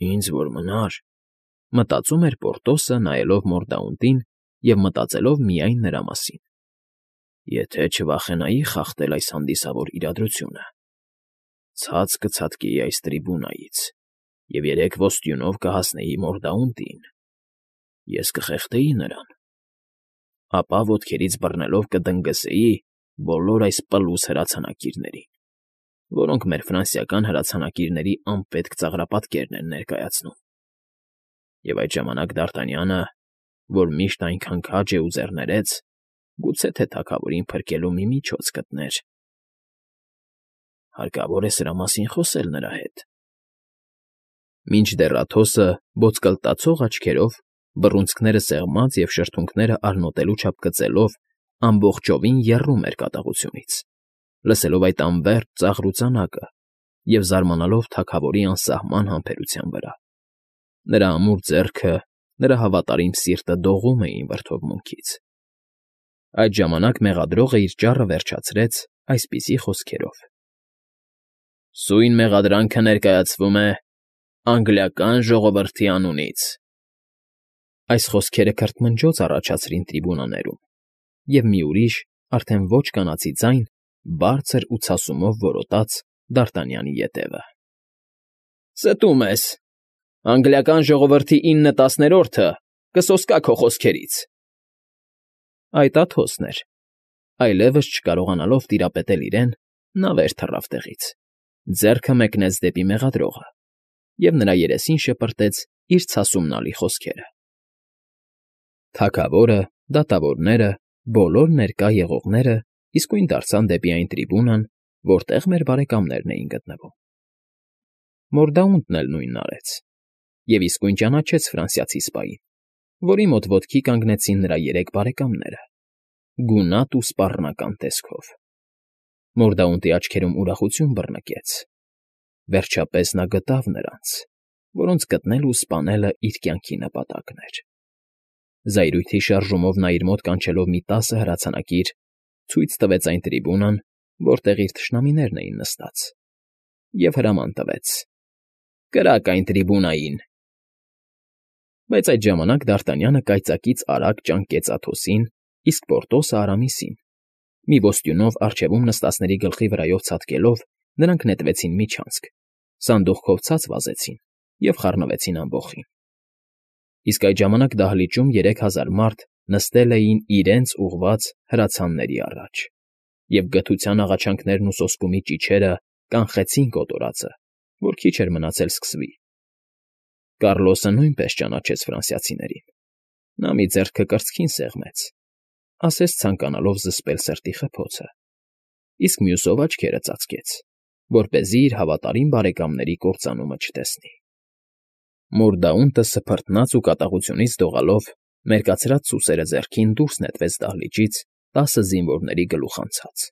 Ինձ որ մնար, մտածում էր Պորտոսը, նայելով Մորդաունտին և մտածելով միայն նրա մասին. եթե չվախենայի խախտել այս հանդիսավոր իրադրությունը, ցած կցատկեի այս տրիբունայից և 3 ոստյունով կհասնեի Մորդաունտին, ես կխեղդեի նրան, ապա ոտքերից բռնելով կդնգզեի բոլոր այս պլուս հրացանակիրներին, որոնք մեր ֆրանսիական հրացանակիրների անպետք ծաղրապատկերն են ներկայացնում, և այդ ժամանակ Դ'Արտանյանը, որ միշտ այնքան քաջ է ու ձեռներեց, գուցե թե թագավորին փրկելու մի միջոց գտներ… Հարկավոր է սրա մասին խոսել նրա հետ… Մինչդեռ Աթոսը ոսկլտացող աչքերով, բռունցքները սեղմած և շրթունքները արնոտելու չափ գծելով, ամբողջովին եռում էր կատաղությունից, լսելով այդ անվերջ ծաղր ու ծանակը և զարմանալով թագավորի անսահման համբերության վրա… Նրա ամուր ձեռքը, նրա հավատարիմ սիրտը դողում էին վրդովմունքից… Այդ ժամանակ մեղադրողը իր ճառը վերջացրեց այսպիսի խոսքերով. Սույն մեղադրանքը ներկայացվում է անգլիական ժողովրդի անունից… Այս խոսքերը քրթմնջոց առաջացրին տրիբունաներում, և մի ուրիշ, արդեն ոչ կանացի ձայն, բարձր ու ցասումով որոտաց Դ'Արտանյանի ետևը. Ստում ես… Անգլիական ժողովրդի 9/10 կսոսկա քո խոսքերից… Այդ Աթոսն էր… Այլևս չկարողանալով տիրապետել իրեն, նա վեր թռավ տեղից, ձեռքը մեկնեց դեպի մեղադրողը և նրա երեսին շպրտեց իր ցասումնալի խոսքերը… Թագավորը, դատավորները, բոլոր ներկա եղողները իսկույն դարձան դեպի այն տրիբունան, որտեղ մեր բարեկամներն էին գտնվում… Մորդաունտն էլ նույնն արեց և իսկույն ճանաչեց ֆրանսիացի սպային, որի մոտ ոտքի կանգնեցին նրա 3 բարեկամները, գունատ ու սպառնական տեսքով… Մորդաունտի աչքերում ուրախություն բռնկեց… Վերջապես նա գտավ նրանց, որոնց գտնելն ու սպանելն իր կյանքի նպատակն էր… Զայրույթի շարժումով նա իր մոտ կանչելով մի 10 հրացանակիր, ցույց տվեց այն տրիբունան, որտեղ իր թշնամիներն էին նստած, և հրաման տվեց. «Կրակ այն տրիբունային»… Բայց այդ ժամանակ Դ'Արտանյանը կայծակից արագ ճանկեց Աթոսին, իսկ Պորտոսը Արամիսին, մի ոստյունով առջևում նստածների գլխի վրայով ցատկելով, նրանք նետվեցին միջանցք, սանդուղքով ցած վազեցին և խառնվեցին ամբոխին… Իսկ այդ ժամանակ դահլիճում 3000 մարդ նստել էին իրենց ուղղված հրացանների առաջ, և գթության աղաչանքներն ու սոսկումի ճիչերը կանխեցին կոտորածը, որ քիչ էր մնացել սկսվի… Կառլոսը նույնպես ճանաչեց ֆրանսիացիներին… Նա մի ձեռքը կրծքին սեղմեց, ասես ցանկանալով զսպել սրտի խփոցը, իսկ մյուսով աչքերը ծածկեց, որպեսզի իր հավատարիմ բարեկամների կործանումը չտեսնի… Մորդաունտը սփռտնաց ու կատաղությունից դողալով, մերկացրած սուսերը ձեռքին դուրս նետվեց դահլիճից 10 զինվորների գլուխ անցած…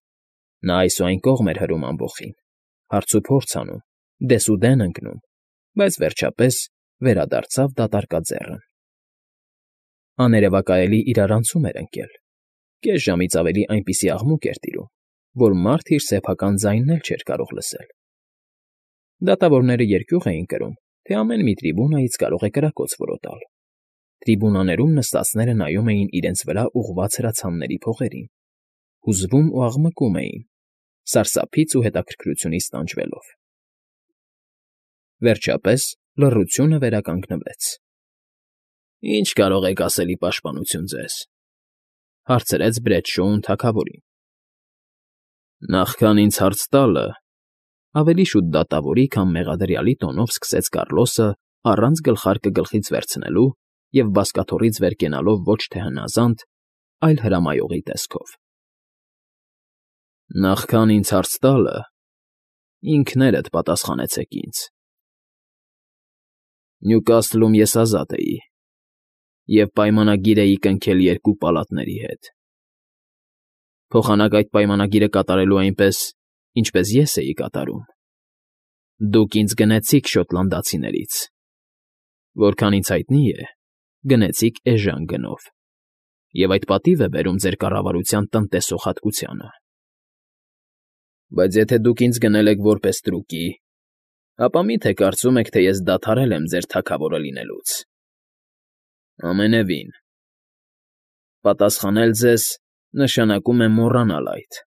Նա այս ու այն կողմ էր հրում ամբոխին, հարցուփորձ անում, դեսուդեն ընկնում, բայց վերջապես վերադարձավ դատարկաձեռն… Աներևակայելի իրարանցում էր ընկել, կես ժամից ավելի այնպիսի աղմուկ էր տիրում, որ մարդ իր սեփական ձայնն էլ չէր կարող լսել… Դատավորները երկյուղ էին կրում, թե ամեն մի տրիբունայից կարող է կրակոց որոտալ… Տրիբունաներում նստածները նայում էին իրենց վրա ուղղված հրացանների փողերին, հուզվում ու աղմկում էին, սարսափից ու հետաքրքրությունից տանջվելով… Վերջապես լռությունը վերականգնվեց… Ի՞նչ կարող եք ասել ի պաշտպանություն ձեզ,֊ հարցրեց Բրեդշոուն թագավորին… Նախքան ինձ հարց տալը,֊ ավելի շուտ դատավորի, քան մեղադրյալի տոնով սկսեց Կառլոսը առանց գլխարկը գլխից վերցնելու և բազկաթոռից վեր կենալով ոչ թե հնազանդ, այլ հրամայողի տեսքով,֊ Նախքան ինձ հարց տալը, ինքներդ պատասխանեցեք ինձ… Նյուկասլում ես ազատ էի և պայմանագիր էի կնքել 2 պալատների հետ… Փոխանակ այդ պայմանագիրը կատարելու այնպես, ինչպես ես էի կատարում, դուք ինձ գնեցիք շոտլանդացիներից, որքան ինձ հայտնի է, գնեցիք էժան գնով, և այդ պատիվ է բերում ձեր կառավարության տնտեսող հատկությանը… Բայց եթե դուք ինձ գնել եք որպեստրուկի, Ապա մի՞թե կարծում եք, թե ես դադարել եմ ձեր թագավորը լինելուց։ Ամենևին։ Պատասխանել ձեզ նշանակում է մոռանալ այդ։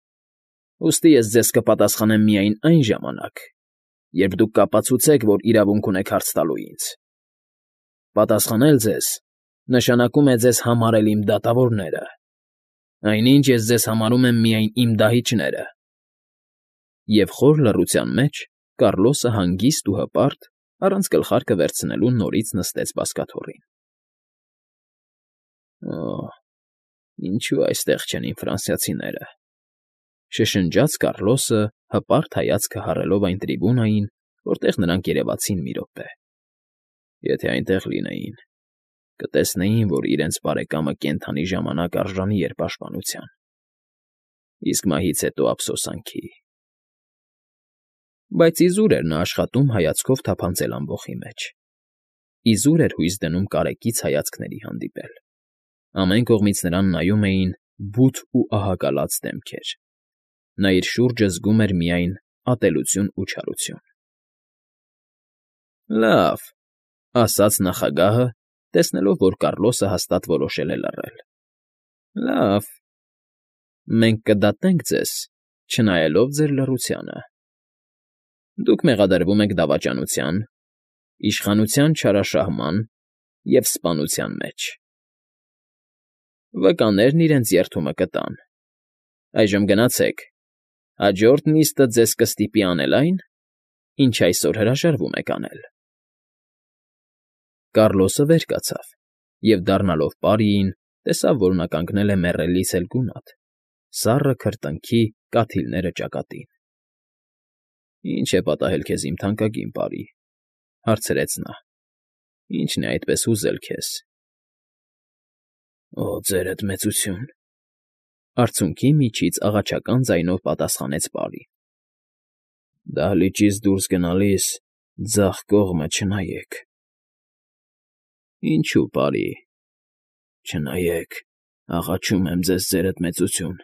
Ուստի ես ձեզ կպատասխանեմ միայն այն ժամանակ, երբ դուք կապացուցեք, որ իրավունք ունեք հարց տալու ինձ։ Պատասխանել ձեզ նշանակում է ձեզ համարել իմ դատավորները, այնինչ ես ձեզ համարում եմ միայն իմ դահիճները։ Եվ խոր լռության մեջ Կառլոսը հանգիստ ու հպարտ, առանց գլխարկը վերցնելու նորից նստեց բազկաթոռին։ Օ՜, ինչու այստեղ չեն իմ ֆրանսիացիները,֊ շշնջաց Կառլոսը, հպարտ հայացքը հառելով այն տրիբունային, որտեղ նրանք երևացին մի րոպե։ Եթե այնտեղ լինեին, կտեսնեին, որ իրենց բարեկամը կենդանի ժամանակ արժանի էր պաշտպանության, իսկ մահից հետո ափսոսանքի։ Բայց իզուր էր նա աշխատում հայացքով թափանցել ամբոխի մեջ։ Իզուր էր հույս դնում կարեկից հայացքների հանդիպել։ Ամեն կողմից նրան նայում էին բութ ու ահագալած դեմքեր։ Նա իր շուրջը զգում էր միայն ատելություն ու չարություն։ Լավ,֊ ասաց նախագահը, տեսնելով, որ Կառլոսը հաստատ որոշել է լռել։ Լավ, մենք կդատենք ձեզ, չնայելով ձեր լռությանը։ Դուք մեղադրվում եք դավաճանության, իշխանության չարաշահման և սպանության մեջ։ Վկաներն իրենց երդումը կտան։ Այժմ գնացեք, հաջորդ նիստը ձեզ կստիպի անել այն, ինչ այսօր հրաժարվում եք անել։ Կառլոսը վեր կացավ և, դառնալով պարիին, տեսավ, որ նա կանգնել է մեռելից էլ գունատ, սառը քրտինքի կաթիլները ճակատին։ Ի՞նչ է պատահել քեզ, իմ թանկագին պարի,֊ հարցրեց նա։ Ի՞նչն է այդպես հուզել քեզ։ Օ, ձերդ մեծություն,֊ արցունքի միջից աղաչական ձայնով պատասխանեց պարին։ Դահլիճից դուրս գնալիս ձախ կողմը չնայեք։ Ինչու, պարի։ Չնայեք, աղաչում եմ ձեզ, ձերդ մեծություն։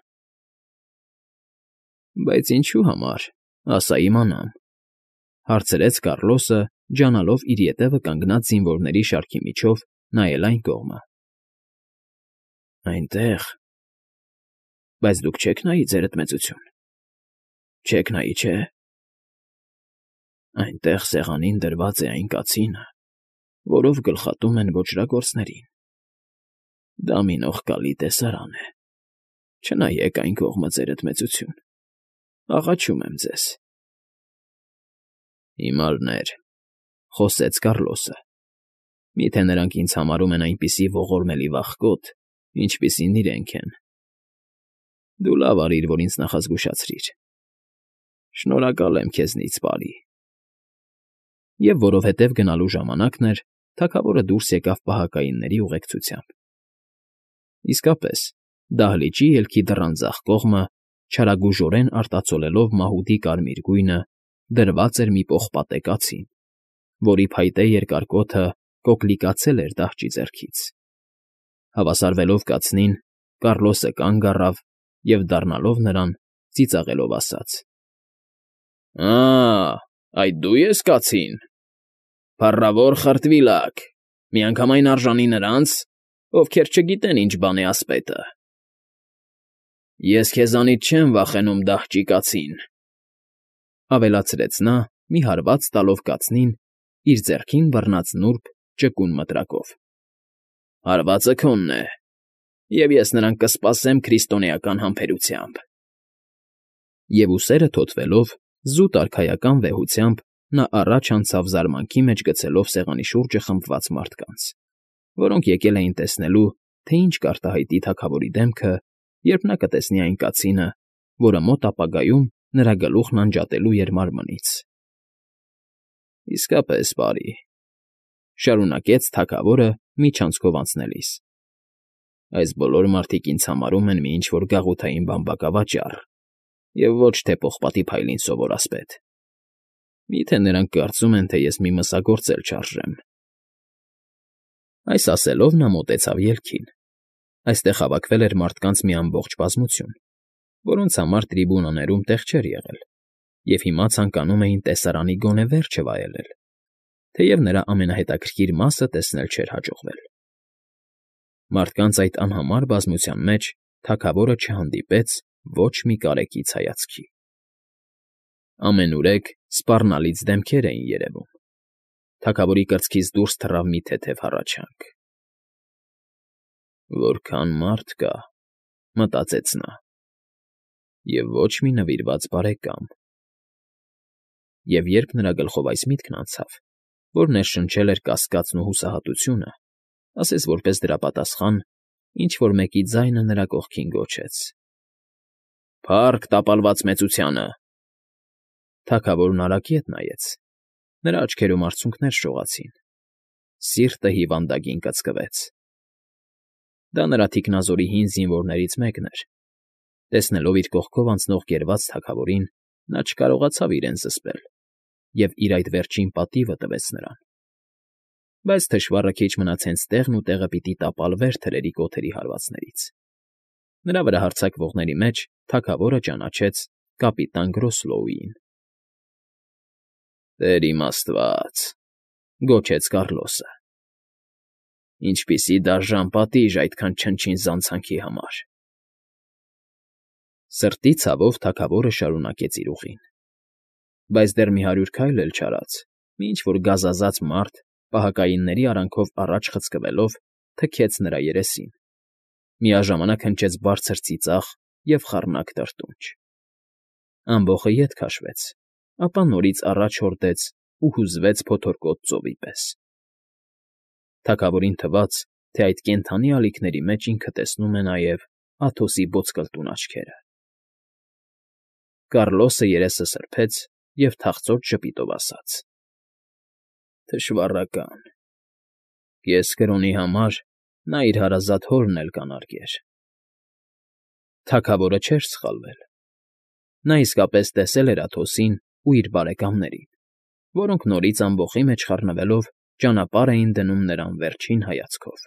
Բայց ինչու համար, ասա իմանամ,֊ հարցրեց Կառլոսը, ջանալով իր ետևը կանգնած զինվորների շարքի միջով նայել այն կողմը։ Այնտեղ… Բայց դուք չեք նայի, ձերդ մեծություն։ Չեք նայի, չէ՞։ Այնտեղ սեղանին դրված է այն կացինը, որով գլխատում են ոճրագործներին։ Դա մի նողկալի տեսարան է։ Չնայեք այն կողմը, ձերդ մեծություն, աղաչում եմ ձեզ։ Հիմարներ,֊ խոսեց Կառլոսը,֊ միթե նրանք ինձ համարում են այնպիսի ողորմելի վախկոտ, ինչպիսին իրենք են։ Դու լավ արիր, որ ինձ նախազգուշացրիր։ Շնորհակալ եմ քեզնից, պարի։ Եվ որովհետև գնալու ժամանակն էր, թագավորը դուրս եկավ պահակայինների ուղեկցությամբ։ Իսկապես, դահլիճի ելքի դռան ձախ կողմը, չարագուժորեն արտացոլելով մահուդի կարմիր գույնը, դրված էր մի պողպատե կացին, որի փայտե երկար կոթը կոկլիկացել էր դահճի ձեռքից։ Հավասարվելով կացնին, Կառլոսը կանգ առավ և, դառնալով նրան, ծիծաղելով ասաց. Այդ դու ես, կացին… Փառավոր խրտվիլակ, միանգամայն արժանի նրանց, ովքեր չգիտեն ինչ բան է ասպետը։ Ես քեզանից չեմ վախենում, դահճի կացին,֊ ավելացրեց նա, մի հարված տալով կացնին իր ձեռքին բռնած նուրբ ճկուն մտրակով։ Հարվածը քոնն է, և ես նրան կսպասեմ քրիստոնեական համբերությամբ։ Եվ ուսերը թոթվելով, զուտ արքայական վեհությամբ նա առաջ անցավ զարմանքի մեջ գցելով սեղանի շուրջը խմբված մարդկանց, որոնք եկել էին տեսնելու, թե ինչ կարտահայտի թագավորի դեմքը, երբ նա կտեսնի այն կացինը, որը մոտ ապագայում նրա գլուխն անջատելու էր մարմնից։ Իսկապես, պարի,֊ շարունակեց թագավորը միջանցքով անցնելիս,֊ այս բոլոր մարդիկ ինձ համարում են մի ինչ֊որ գաղութային բամբակավաճառ և ոչ թե պողպատի փայլին սովոր ասպետ։ Միթե նրանք կարծում են, թե ես մի մսագործ էլ չարժեմ։ Այս ասելով նա մոտեցավ ելքին։ Այստեղ հավաքվել էր մարդկանց մի ամբողջ բազմություն, որոնց համար տրիբունաներում տեղ չէր եղել, Եվ հիմա ցանկանում էին տեսարանի գոնե վերջը վայելել, թեև նրա ամենահետաքրքիր մասը տեսնել չէր հաջողվել։ Մարդկանց այդ անհամար բազմության մեջ թագավորը չհանդիպեց ոչ մի կարեկից հայացքի։ Ամենուրեք սպառնալից դեմքեր էին երևում։ Թագավորի կրծքից դուրս թռավ մի թեթև հառաչանք։ «Որքան մարդ կա», մտածեց նա, «և ոչ մի նվիրված բարեկամ»։ Եվ երբ նրա գլխով այս միտքն անցավ, որ ներշնչել էր կասկածն ու հուսահատությունը, ասես որպես դրա պատասխան, ինչ֊որ մեկի ձայնը նրա կողքին գոչեց. «Փա՜ռք տապալված մեծությանը»։ Թագավորն արագ ետ նայեց, նրա աչքերում արցունքներ շողացին, սիրտը հիվանդագին կծկվեց։ Դա նրա թիկնազորի հին զինվորներից մեկն էր։ Տեսնելով իր կողքով անցնող գերված թագավորին, նա չկարողացավ իրեն զսպել և իր այդ վերջին պատիվը տվեց նրան։ Բայց թշվառը քիչ մնաց հենց տեղն ու տեղը պիտի տապալվեր թրերի կոթերի հարվածներից։ Նրա վրա հարձակվողների մեջ թագավորը ճանաչեց կապիտան Գրոսլոուին։ «Տեր իմ աստված», գոչեց Կառլոսը, «ինչպիսի դաժան պատիժ այդքան չնչին զանցանքի համար»։ Սրտի ցավով թագավորը շարունակեց իր ուղին։ Բայց դեռ մի 100 քայլ էլ չարած, մի ինչ֊որ գազազած մարդ, պահակայինների արանքով առաջ խցկվելով, թքեց նրա երեսին, միաժամանակ հնչեց բարձր ծիծաղ և խառնակ տրտունջ։ Ամբոխը ետ քաշվեց, ապա նորից առաջ հորդեց ու հուզվեց փոթորկոտ ծովի պես։ Թագավորին թվաց, թե այդ կենդանի ալիքների մեջ ինքը տեսնում է նաև Աթոսի ոսկլտուն աչքերը։ Կառլոսը երեսը սրբեց և թախծոտ ժպիտով ասաց. «Թշվառական։ Կես կրոնի համար նա իր հարազատ հորն էլ կանարգեր»։ Թագավորը չէր սխալվել։ Նա իսկապես տեսել էր Աթոսին ու իր բարեկամներին, որոնք նորից ամբոխի մեջ խառնվելով ճանապարհ էին դնում նրան վերջին հայացքով։